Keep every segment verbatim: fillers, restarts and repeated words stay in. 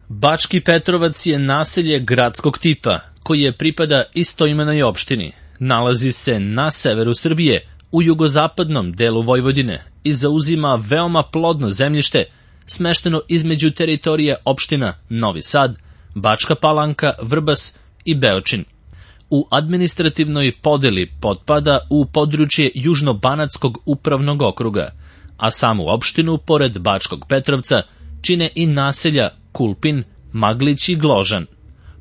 Bački Petrovac je naselje gradskog tipa, koje pripada istoimenoj opštini. Nalazi se na severu Srbije, u jugozapadnom delu Vojvodine i zauzima veoma plodno zemljište, smešteno između teritorije opština Novi Sad, Bačka Palanka, Vrbas i Beočin. U administrativnoj podeli potpada u područje Južnobanatskog upravnog okruga, a samu opštinu, pored Bačkog Petrovca, čine i naselja Kulpin, Maglić i Gložan.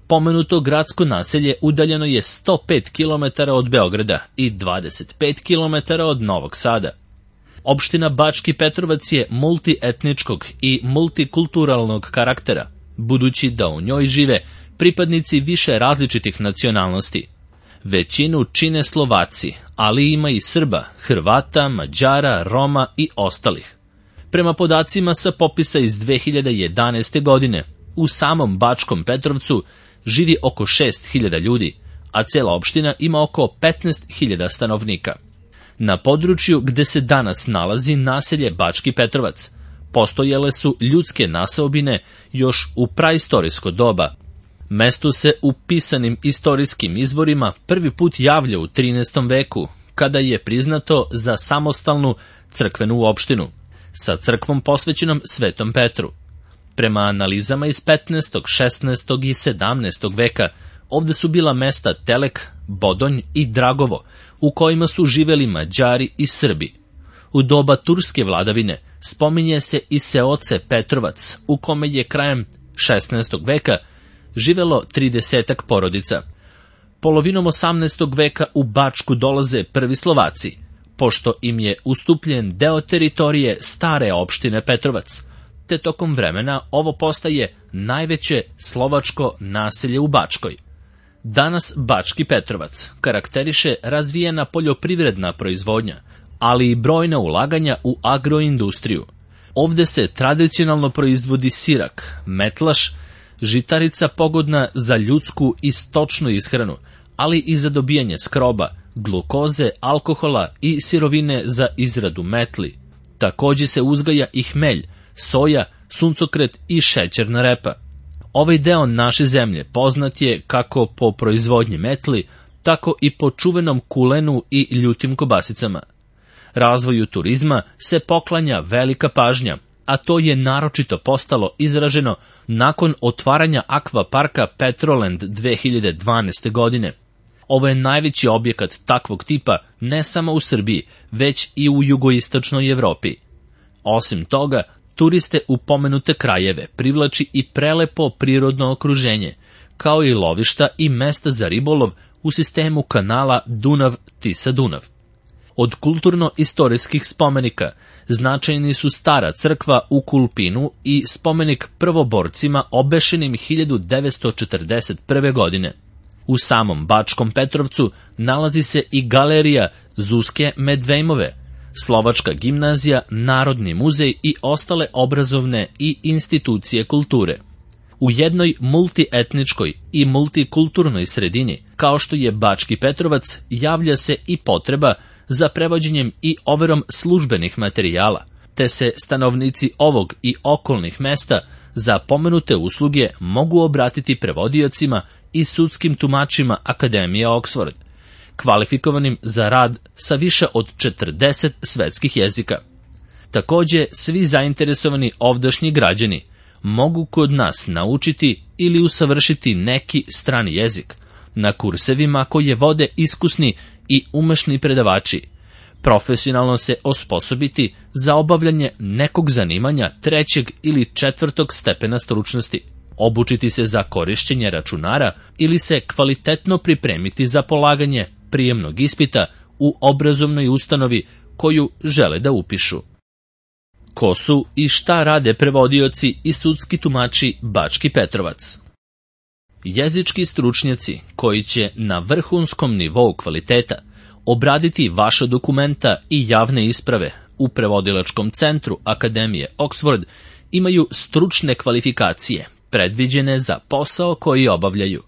Pomenuto gradsko naselje udaljeno je sto pet kilometara od Beograda i dvadeset pet kilometara od Novog Sada. Opština Bački Petrovac je multietničkog i multikulturalnog karaktera, budući da u njoj žive pripadnici više različitih nacionalnosti. Većinu čine Slovaci, ali ima i Srba, Hrvata, Mađara, Roma i ostalih. Prema podacima sa popisa iz dve hiljade jedanaeste. godine, u samom Bačkom Petrovcu živi oko šest hiljada ljudi, a cela opština ima oko petnaest hiljada stanovnika. Na području gde se danas nalazi naselje Bački Petrovac, postojale su ljudske naseobine još u praistorijsko doba. Mesto se u pisanim istorijskim izvorima prvi put javlja u trinaestom veku, kada je priznato za samostalnu crkvenu opštinu, sa crkvom posvećenom Svetom Petru. Prema analizama iz petnaestog, šesnaestog i sedamnaestog veka, ovde su bila mesta Telek, Bodonj i Dragovo, u kojima su živeli Mađari i Srbi. U doba turske vladavine spominje se i seoce Petrovac, u kome je krajem šesnaestog veka živelo tridesetak porodica. Polovinom osamnaestog veka u Bačku dolaze prvi Slovaci, pošto im je ustupljen deo teritorije stare opštine Petrovac, te tokom vremena ovo postaje najveće slovačko naselje u Bačkoj. Danas Bački Petrovac karakteriše razvijena poljoprivredna proizvodnja, ali i brojna ulaganja u agroindustriju. Ovde se tradicionalno proizvodi sirak, metlaš, žitarica pogodna za ljudsku i stočnu ishranu, ali i za dobijanje skroba, glukoze, alkohola i sirovine za izradu metli. Takođe se uzgaja i hmelj, soja, suncokret i šećerna repa. Ovaj deo naše zemlje poznat je kako po proizvodnji metli, tako i po čuvenom kulenu i ljutim kobasicama. Razvoju turizma se poklanja velika pažnja, a to je naročito postalo izraženo nakon otvaranja akvaparka Petroland dve hiljade dvanaeste. godine. Ovo je najveći objekat takvog tipa ne samo u Srbiji, već i u jugoistočnoj Evropi. Osim toga, turiste u pomenute krajeve privlači i prelepo prirodno okruženje, kao i lovišta i mesta za ribolov u sistemu kanala Dunav-Tisa-Dunav. Od kulturno-istorijskih spomenika značajni su stara crkva u Kulpinu i spomenik prvoborcima obešenim hiljadu devetsto četrdeset prve. godine. U samom Bačkom Petrovcu nalazi se i galerija Zuzke Medvejmove, Slovačka gimnazija, Narodni muzej i ostale obrazovne i institucije kulture. U jednoj multietničkoj i multikulturnoj sredini, kao što je Bački Petrovac, javlja se i potreba za prevođenjem i overom službenih materijala, te se stanovnici ovog i okolnih mesta za pomenute usluge mogu obratiti prevodiocima i sudskim tumačima Akademije Oxford, kvalifikovanim za rad sa više od četrdeset svetskih jezika. Takođe, svi zainteresovani ovdašnji građani mogu kod nas naučiti ili usavršiti neki strani jezik na kursevima koje vode iskusni i umešni predavači, profesionalno se osposobiti za obavljanje nekog zanimanja trećeg ili četvrtog stepena stručnosti, obučiti se za korišćenje računara ili se kvalitetno pripremiti za polaganje prijemnog ispita u obrazovnoj ustanovi koju žele da upišu. Ko su i šta rade prevodioci i sudski tumači Bački Petrovac? Jezički stručnjaci koji će na vrhunskom nivou kvaliteta obraditi vaša dokumenta i javne isprave u prevodilačkom centru Akademije Oxford imaju stručne kvalifikacije predviđene za posao koji obavljaju.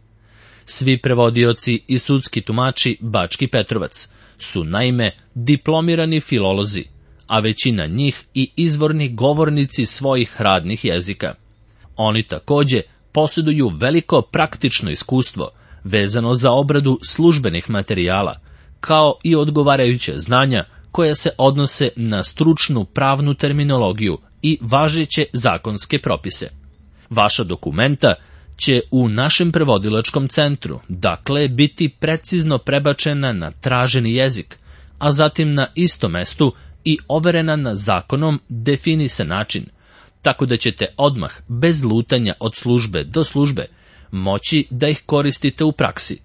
Svi prevodioci i sudski tumači Bački Petrovac su naime diplomirani filolozi, a većina njih i izvorni govornici svojih radnih jezika. Oni takođe posjeduju veliko praktično iskustvo vezano za obradu službenih materijala, kao i odgovarajuće znanja koja se odnose na stručnu pravnu terminologiju i važeće zakonske propise. Vaša dokumenta će u našem prevodilačkom centru, dakle, biti precizno prebačena na traženi jezik, a zatim na istom mestu i overena na zakonom definisan način, tako da ćete odmah, bez lutanja od službe do službe, moći da ih koristite u praksi.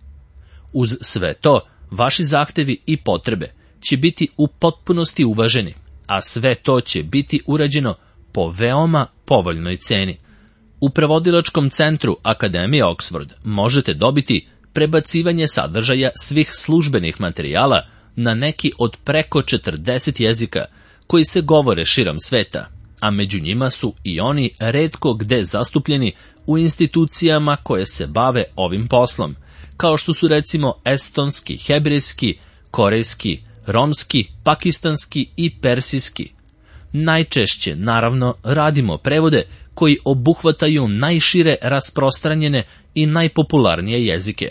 Uz sve to, vaši zahtevi i potrebe će biti u potpunosti uvaženi, a sve to će biti urađeno po veoma povoljnoj ceni. U prevodilačkom centru Akademije Oxford možete dobiti prebacivanje sadržaja svih službenih materijala na neki od preko četrdeset jezika koji se govore širom sveta, a među njima su i oni retko gde zastupljeni u institucijama koje se bave ovim poslom, kao što su recimo estonski, hebrejski, korejski, romski, pakistanski i persijski. Najčešće, naravno, radimo prevode koji obuhvataju najšire rasprostranjene i najpopularnije jezike.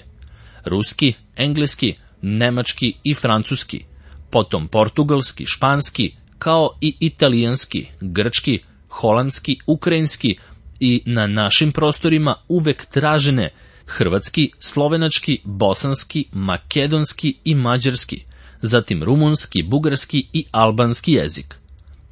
Ruski, engleski, nemački i francuski, potom portugalski, španski, kao i italijanski, grčki, holandski, ukrajinski i na našim prostorima uvek tražene hrvatski, slovenački, bosanski, makedonski i mađarski, zatim rumunski, bugarski i albanski jezik.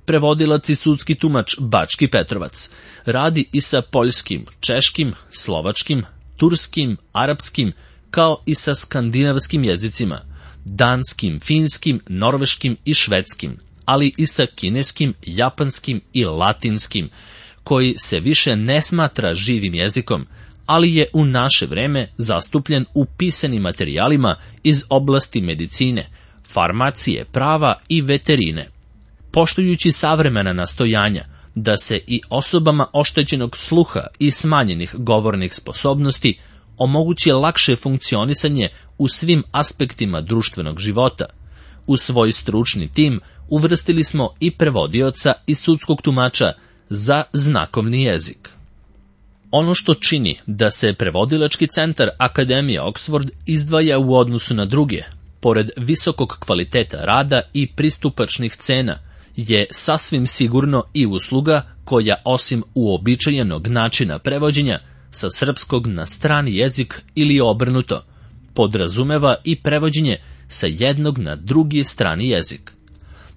Prevodilac i sudski tumač Bački Petrovac radi i sa poljskim, češkim, slovačkim, turskim, arapskim, kao i sa skandinavskim jezicima, danskim, finskim, norveškim i švedskim, ali i sa kineskim, japanskim i latinskim, koji se više ne smatra živim jezikom, ali je u naše vreme zastupljen u pisanim materijalima iz oblasti medicine, farmacije, prava i veterine. Poštujući savremena nastojanja da se i osobama oštećenog sluha i smanjenih govornih sposobnosti omogući lakše funkcionisanje u svim aspektima društvenog života, u svoj stručni tim uvrstili smo i prevodioca i sudskog tumača za znakovni jezik. Ono što čini da se prevodilački centar Akademije Oxford izdvaja u odnosu na druge, pored visokog kvaliteta rada i pristupačnih cena, je sasvim sigurno i usluga koja, osim uobičajenog načina prevođenja sa srpskog na strani jezik ili obrnuto, podrazumeva i prevođenje sa jednog na drugi strani jezik.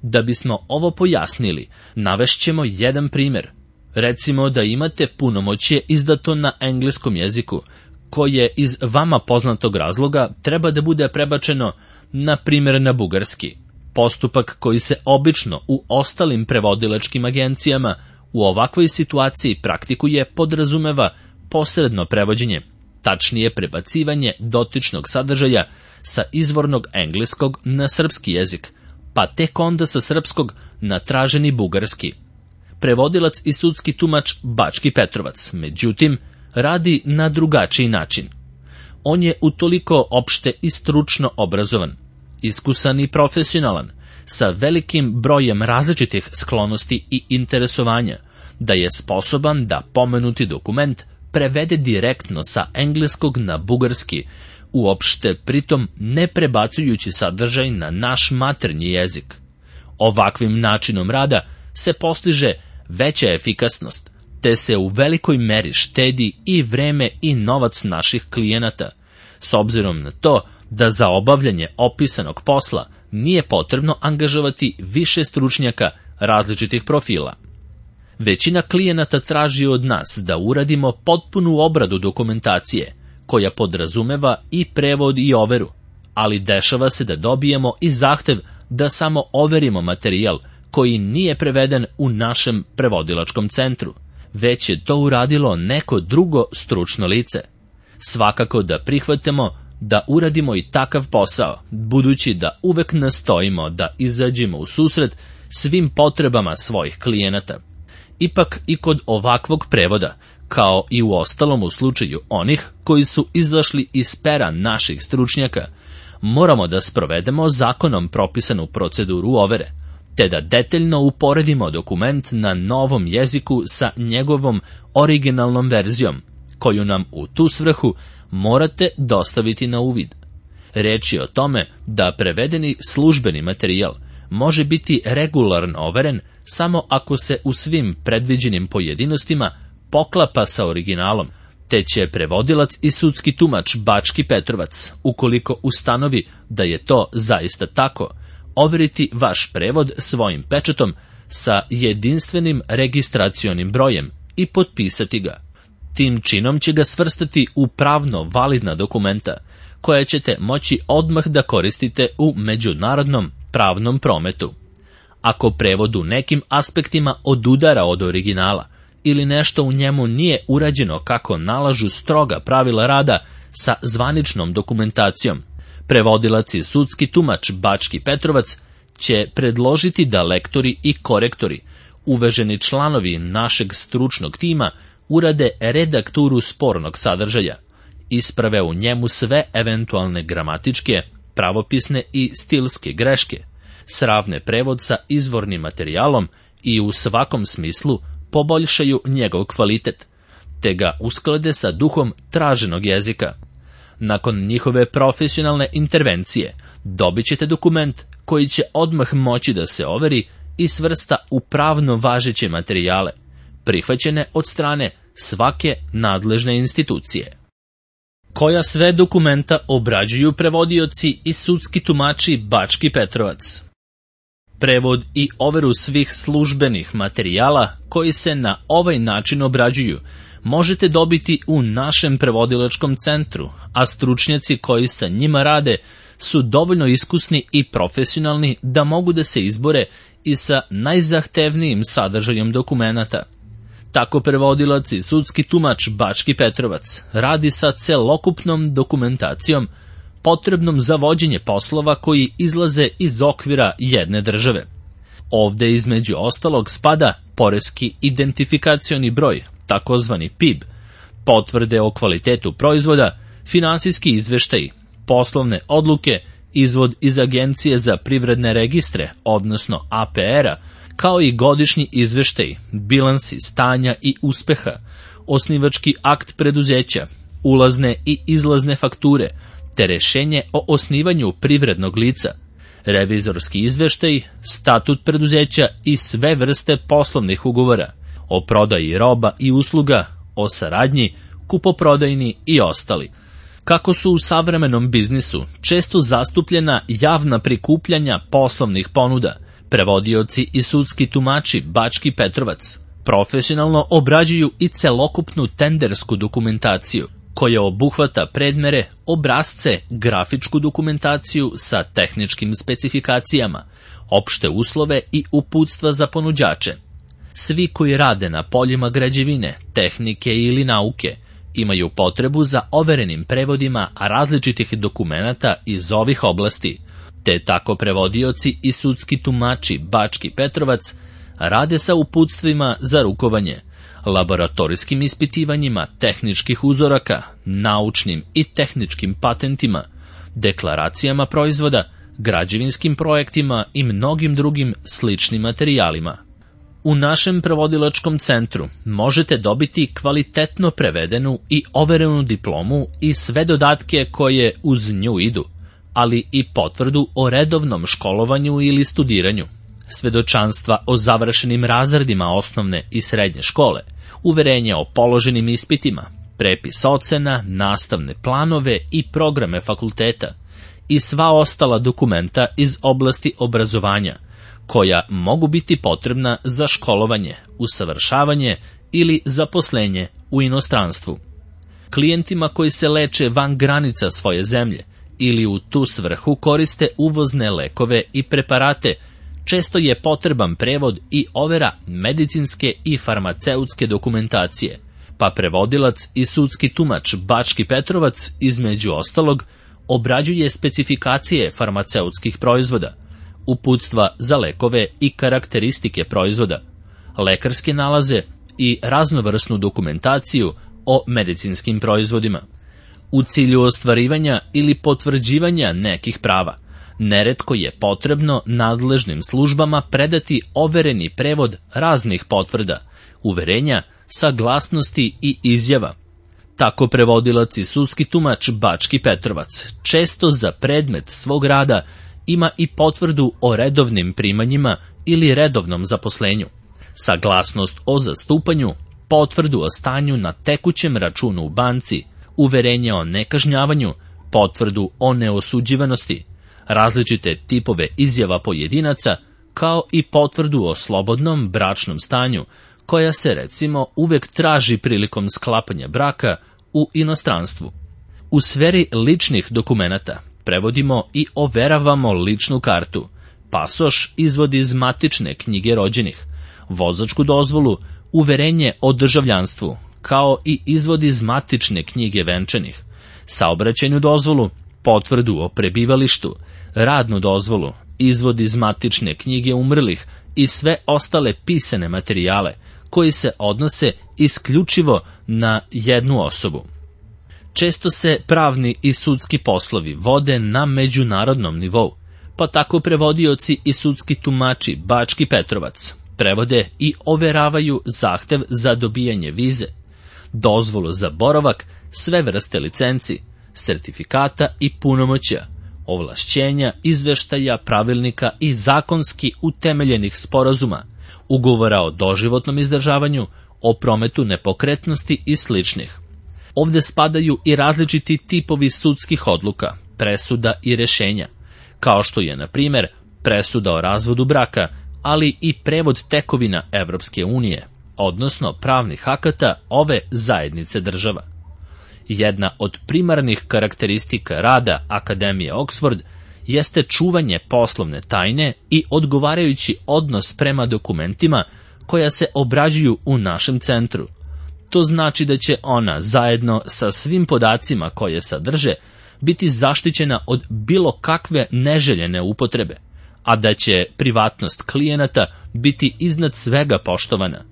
Da bismo ovo pojasnili, navešćemo jedan primer. Recimo da imate punomoćje izdato na engleskom jeziku, koje iz vama poznatog razloga treba da bude prebačeno, na primjer, na bugarski. Postupak koji se obično u ostalim prevodilačkim agencijama u ovakvoj situaciji praktikuje podrazumeva posredno prevođenje, tačnije prebacivanje dotičnog sadržaja sa izvornog engleskog na srpski jezik, pa tek onda sa srpskog na traženi bugarski. Prevodilac i sudski tumač Bački Petrovac, međutim, radi na drugačiji način. On je utoliko opšte i stručno obrazovan, iskusan i profesionalan, sa velikim brojem različitih sklonosti i interesovanja, da je sposoban da pomenuti dokument prevede direktno sa engleskog na bugarski, uopšte pritom ne prebacujući sadržaj na naš maternji jezik. Ovakvim načinom rada se postiže veća efikasnost, te se u velikoj meri štedi i vreme i novac naših klijenata, s obzirom na to da za obavljanje opisanog posla nije potrebno angažovati više stručnjaka različitih profila. Većina klijenata traži od nas da uradimo potpunu obradu dokumentacije, koja podrazumeva i prevod i overu, ali dešava se da dobijemo i zahtev da samo overimo materijal koji nije preveden u našem prevodilačkom centru, već je to uradilo neko drugo stručno lice. Svakako da prihvatimo da uradimo i takav posao, budući da uvek nastojimo da izađemo u susret svim potrebama svojih klijenata. Ipak i kod ovakvog prevoda, kao i u ostalom u slučaju onih koji su izašli iz pera naših stručnjaka, moramo da sprovedemo zakonom propisanu proceduru overe, te da detaljno uporedimo dokument na novom jeziku sa njegovom originalnom verzijom, koju nam u tu svrhu morate dostaviti na uvid. Reč je o tome da prevedeni službeni materijal može biti regularno overen samo ako se u svim predviđenim pojedinostima poklapa sa originalom, te će prevodilac i sudski tumač Bački Petrovac, ukoliko ustanovi da je to zaista tako, overiti vaš prevod svojim pečatom sa jedinstvenim registracionim brojem i potpisati ga. Tim činom će ga svrstati u pravno validna dokumenta, koja ćete moći odmah da koristite u međunarodnom pravnom prometu. Ako prevod u nekim aspektima odudara od originala ili nešto u njemu nije urađeno kako nalažu stroga pravila rada sa zvaničnom dokumentacijom, prevodilac i sudski tumač Bački Petrovac će predložiti da lektori i korektori, uvaženi članovi našeg stručnog tima, urade redakturu spornog sadržaja, isprave u njemu sve eventualne gramatičke, pravopisne i stilske greške, sravne prevod sa izvornim materijalom i u svakom smislu poboljšaju njegov kvalitet, te ga usklade sa duhom traženog jezika. Nakon njihove profesionalne intervencije dobit ćete dokument koji će odmah moći da se overi i svrsta u pravno važeće materijale, prihvaćene od strane svake nadležne institucije. Koja sve dokumenta obrađuju prevodioci i sudski tumači Bački Petrovac? Prevod i overu svih službenih materijala koji se na ovaj način obrađuju možete dobiti u našem prevodilačkom centru, a stručnjaci koji sa njima rade su dovoljno iskusni i profesionalni da mogu da se izbore i sa najzahtevnijim sadržajem dokumenata. Tako prevodilac i sudski tumač Bački Petrovac radi sa celokupnom dokumentacijom potrebnom za vođenje poslova koji izlaze iz okvira jedne države. Ovde između ostalog spada poreski identifikacioni broj, takozvani P I B, potvrde o kvalitetu proizvoda, finansijski izveštaji, poslovne odluke, izvod iz Agencije za privredne registre, odnosno A P R-a, kao i godišnji izveštaj, bilansi stanja i uspeha, osnivački akt preduzeća, ulazne i izlazne fakture, te rešenje o osnivanju privrednog lica, revizorski izveštaj, statut preduzeća i sve vrste poslovnih ugovora, o prodaji roba i usluga, o saradnji, kupoprodajni i ostali. Kako su u savremenom biznisu često zastupljena javna prikupljanja poslovnih ponuda, prevodioci i sudski tumači Bački Petrovac profesionalno obrađuju i celokupnu tendersku dokumentaciju, koja obuhvata predmere, obrazce, grafičku dokumentaciju sa tehničkim specifikacijama, opšte uslove i uputstva za ponuđače. Svi koji rade na poljima građevine, tehnike ili nauke imaju potrebu za overenim prevodima različitih dokumenata iz ovih oblasti, te tako prevodioci i sudski tumači Bački Petrovac rade sa uputstvima za rukovanje, laboratorijskim ispitivanjima tehničkih uzoraka, naučnim i tehničkim patentima, deklaracijama proizvoda, građevinskim projektima i mnogim drugim sličnim materijalima. U našem prevodilačkom centru možete dobiti kvalitetno prevedenu i overenu diplomu i sve dodatke koje uz nju idu, ali i potvrdu o redovnom školovanju ili studiranju, svedočanstva o završenim razredima osnovne i srednje škole, uverenje o položenim ispitima, prepis ocena, nastavne planove i programe fakulteta i sva ostala dokumenta iz oblasti obrazovanja, koja mogu biti potrebna za školovanje, usavršavanje ili zaposlenje u inostranstvu. Klijentima koji se leče van granica svoje zemlje ili u tu svrhu koriste uvozne lekove i preparate, često je potreban prevod i overa medicinske i farmaceutske dokumentacije, pa prevodilac i sudski tumač Bački Petrovac, između ostalog, obrađuje specifikacije farmaceutskih proizvoda, uputstva za lekove i karakteristike proizvoda, lekarske nalaze i raznovrsnu dokumentaciju o medicinskim proizvodima. U cilju ostvarivanja ili potvrđivanja nekih prava, Neretko je potrebno nadležnim službama predati overeni prevod raznih potvrda, uverenja, saglasnosti i izjava. Tako prevodilac i sudski tumač Bački Petrovac često za predmet svog rada ima i potvrdu o redovnim primanjima ili redovnom zaposlenju, saglasnost o zastupanju, potvrdu o stanju na tekućem računu u banci, uverenje o nekažnjavanju, potvrdu o neosuđivanosti, različite tipove izjava pojedinaca, kao i potvrdu o slobodnom bračnom stanju, koja se recimo uvek traži prilikom sklapanja braka u inostranstvu. U sferi ličnih dokumenata prevodimo i overavamo ličnu kartu, pasoš, izvod iz matične knjige rođenih, vozačku dozvolu, uverenje o državljanstvu, kao i izvod iz matične knjige venčanih, saobraćajnu dozvolu, potvrdu o prebivalištu, radnu dozvolu, izvod iz matične knjige umrlih i sve ostale pisane materijale koji se odnose isključivo na jednu osobu. Često se pravni i sudski poslovi vode na međunarodnom nivou, pa tako prevodioci i sudski tumači Bački Petrovac prevode i overavaju zahtev za dobijanje vize, dozvolu za boravak, sve vrste licenci, sertifikata i punomoćja, ovlašćenja, izveštaja, pravilnika i zakonski utemeljenih sporazuma, ugovora o doživotnom izdržavanju, o prometu nepokretnosti i sličnih. Ovde spadaju i različiti tipovi sudskih odluka, presuda i rešenja, kao što je, na primer, presuda o razvodu braka, ali i prevod tekovina Evropske unije, odnosno pravnih akata ove zajednice država. Jedna od primarnih karakteristika rada Akademije Oxford jeste čuvanje poslovne tajne i odgovarajući odnos prema dokumentima koja se obrađuju u našem centru. To znači da će ona, zajedno sa svim podacima koje sadrže, biti zaštićena od bilo kakve neželjene upotrebe, a da će privatnost klijenata biti iznad svega poštovana.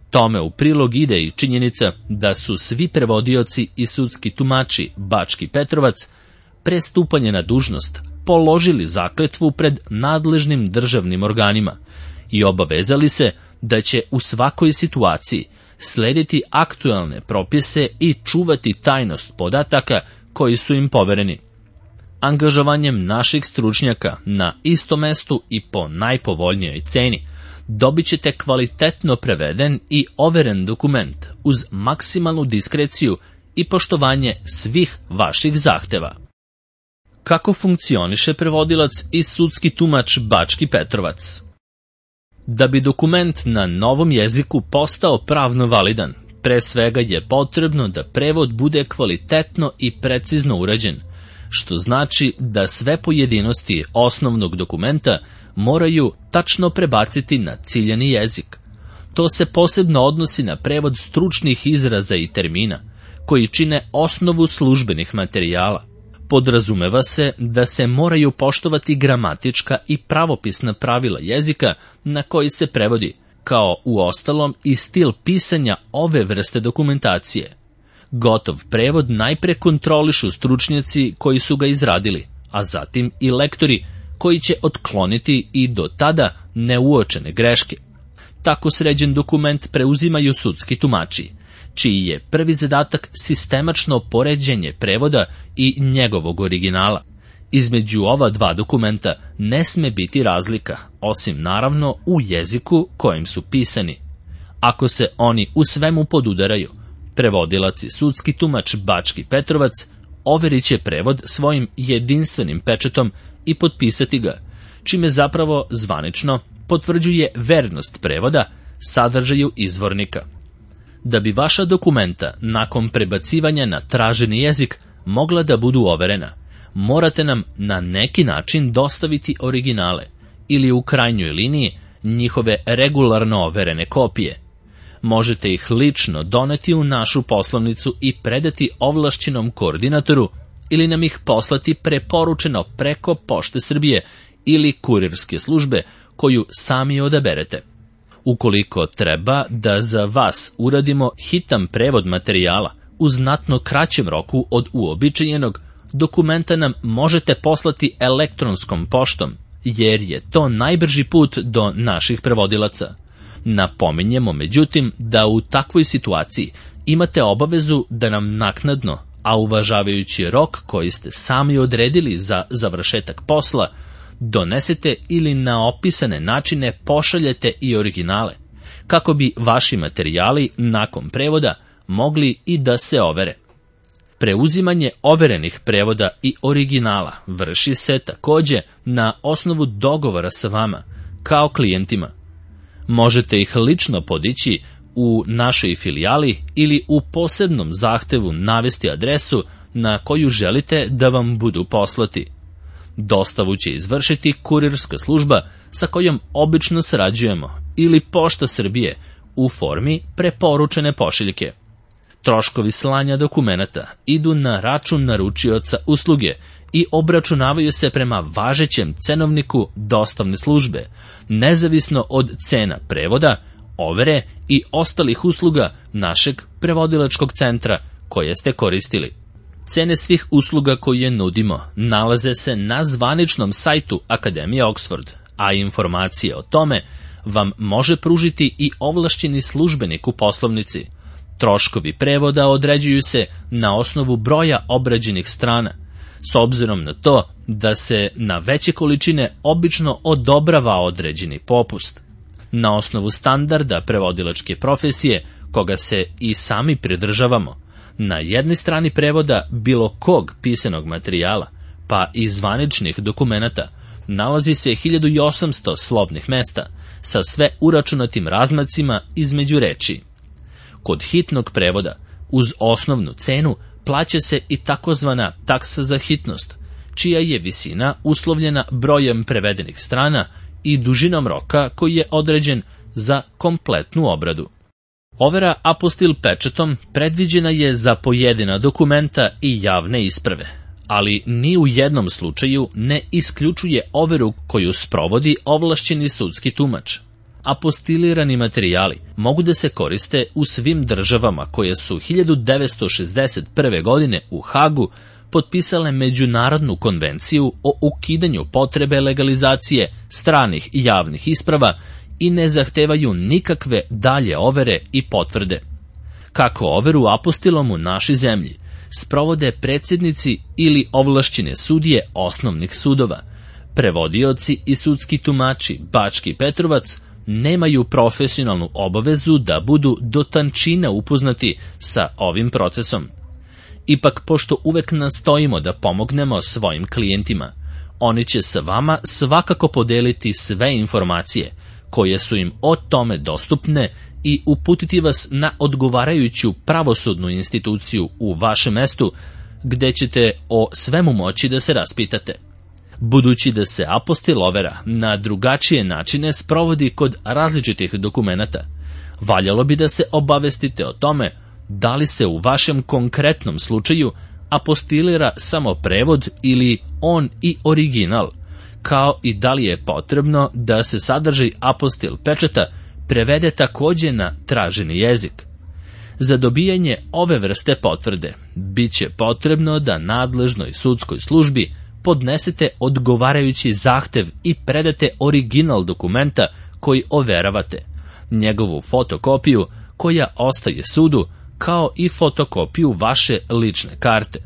Tome u prilog ide i činjenica da su svi prevodioci i sudski tumači Bački Petrovac pre stupanja na dužnost položili zakletvu pred nadležnim državnim organima i obavezali se da će u svakoj situaciji slediti aktuelne propise i čuvati tajnost podataka koji su im povereni. Angažovanjem naših stručnjaka na istom mestu i po najpovoljnijoj ceni dobit ćete kvalitetno preveden i overen dokument uz maksimalnu diskreciju i poštovanje svih vaših zahteva. Kako funkcioniše prevodilac i sudski tumač Bački Petrovac? Da bi dokument na novom jeziku postao pravno validan, pre svega je potrebno da prevod bude kvalitetno i precizno urađen, što znači da sve pojedinosti osnovnog dokumenta moraju tačno prebaciti na ciljani jezik. To se posebno odnosi na prevod stručnih izraza i termina, koji čine osnovu službenih materijala. Podrazumeva se da se moraju poštovati gramatička i pravopisna pravila jezika na koji se prevodi, kao u ostalom i stil pisanja ove vrste dokumentacije. Gotov prevod najpre kontrolišu stručnjaci koji su ga izradili, a zatim i lektori koji će otkloniti i do tada neuočene greške. Tako sređen dokument preuzimaju sudski tumači, čiji je prvi zadatak sistemačno poređenje prevoda i njegovog originala. Između ova dva dokumenta ne sme biti razlika, osim naravno u jeziku kojim su pisani. Ako se oni u svemu podudaraju, prevodilac i sudski tumač Bački Petrovac overit će prevod svojim jedinstvenim pečatom i potpisati ga, čime zapravo zvanično potvrđuje vernost prevoda sadržaju izvornika. Da bi vaša dokumenta nakon prebacivanja na traženi jezik mogla da budu overena, morate nam na neki način dostaviti originale ili u krajnjoj liniji njihove regularno overene kopije. Možete ih lično doneti u našu poslovnicu i predati ovlašćenom koordinatoru ili nam ih poslati preporučeno preko Pošte Srbije ili kurirske službe koju sami odaberete. Ukoliko treba da za vas uradimo hitan prevod materijala u znatno kraćem roku od uobičajenog, dokumenta nam možete poslati elektronskom poštom, jer je to najbrži put do naših prevodilaca. Napominjemo, međutim, da u takvoj situaciji imate obavezu da nam naknadno, a uvažavajući rok koji ste sami odredili za završetak posla, donesete ili na opisane načine pošaljete i originale, kako bi vaši materijali nakon prevoda mogli i da se overe. Preuzimanje overenih prevoda i originala vrši se takođe na osnovu dogovora sa vama, kao klijentima. Možete ih lično podići u našoj filijali ili u posebnom zahtevu navesti adresu na koju želite da vam budu poslati. Dostavu će izvršiti kurirska služba sa kojom obično sarađujemo ili Pošta Srbije u formi preporučene pošiljke. Troškovi slanja dokumenata idu na račun naručioca usluge i obračunavaju se prema važećem cenovniku dostavne službe, nezavisno od cena prevoda, overe i ostalih usluga našeg prevodilačkog centra koje ste koristili. Cene svih usluga koje nudimo nalaze se na zvaničnom sajtu Akademije Oxford, a informacije o tome vam može pružiti i ovlašćeni službenik u poslovnici. Troškovi prevoda određuju se na osnovu broja obrađenih strana, s obzirom na to da se na veće količine obično odobrava određeni popust. Na osnovu standarda prevodilačke profesije, koga se i sami pridržavamo, na jednoj strani prevoda bilo kog pisanog materijala, pa i zvaničnih dokumenata, nalazi se hiljadu osamsto slovnih mesta sa sve uračunatim razmacima između reči. Kod hitnog prevoda, uz osnovnu cenu, plaća se i takozvana taksa za hitnost, čija je visina uslovljena brojem prevedenih strana i dužinom roka koji je određen za kompletnu obradu. Overa apostil pečatom predviđena je za pojedina dokumenta i javne isprave, ali ni u jednom slučaju ne isključuje overu koju sprovodi ovlašćeni sudski tumač. Apostilirani materijali mogu da se koriste u svim državama koje su hiljadu devetsto šezdeset prve. godine u Hagu potpisale Međunarodnu konvenciju o ukidanju potrebe legalizacije stranih javnih isprava i ne zahtevaju nikakve dalje overe i potvrde. Kako overu apostilom u našoj zemlji sprovode predsjednici ili ovlašćene sudije osnovnih sudova, prevodioci i sudski tumači Bački Petrovac nemaju profesionalnu obavezu da budu do tančina upoznati sa ovim procesom. Ipak, pošto uvek nastojimo da pomognemo svojim klijentima, oni će sa vama svakako podeliti sve informacije koje su im o tome dostupne i uputiti vas na odgovarajuću pravosudnu instituciju u vašem mestu, gde ćete o svemu moći da se raspitate. Budući da se apostil overa na drugačije načine sprovodi kod različitih dokumenata, valjalo bi da se obavestite o tome da li se u vašem konkretnom slučaju apostilira samo prevod ili on i original, kao i da li je potrebno da se sadržaj apostil pečata prevede takođe na traženi jezik. Za dobijanje ove vrste potvrde bit će potrebno da nadležnoj sudskoj službi podnesete odgovarajući zahtev i predate original dokumenta koji overavate, njegovu fotokopiju koja ostaje sudu, kao i fotokopiju vaše lične karte.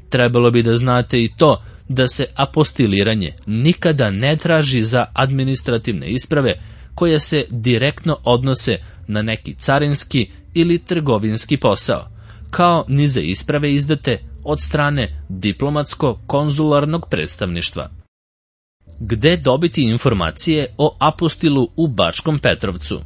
Trebalo bi da znate i to da se apostiliranje nikada ne traži za administrativne isprave koje se direktno odnose na neki carinski ili trgovinski posao, kao ni za isprave izdate od strane diplomatsko-konzularnog predstavništva. Gde dobiti informacije o apostilu u Bačkom Petrovcu?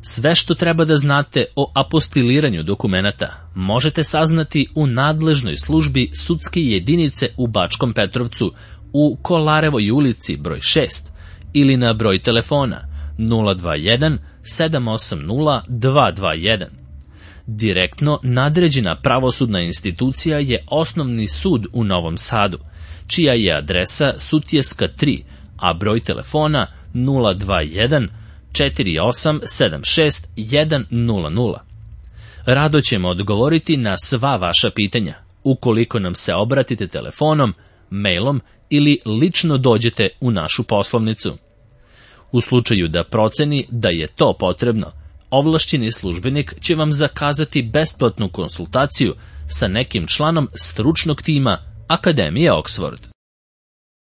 Sve što treba da znate o apostiliranju dokumenata možete saznati u nadležnoj službi sudske jedinice u Bačkom Petrovcu u Kolarevoj ulici broj šest ili na broj telefona nula dva jedan sedam osam nula dva dva jedan. Direktno nadređena pravosudna institucija je Osnovni sud u Novom Sadu, čija je adresa Sutjeska tri, a broj telefona nula dva jedan četiri osam sedam šest jedan nula nula. Rado ćemo odgovoriti na sva vaša pitanja, ukoliko nam se obratite telefonom, mailom ili lično dođete u našu poslovnicu. U slučaju da proceni da je to potrebno, ovlašćeni službenik će vam zakazati besplatnu konsultaciju sa nekim članom stručnog tima Akademije Oxford.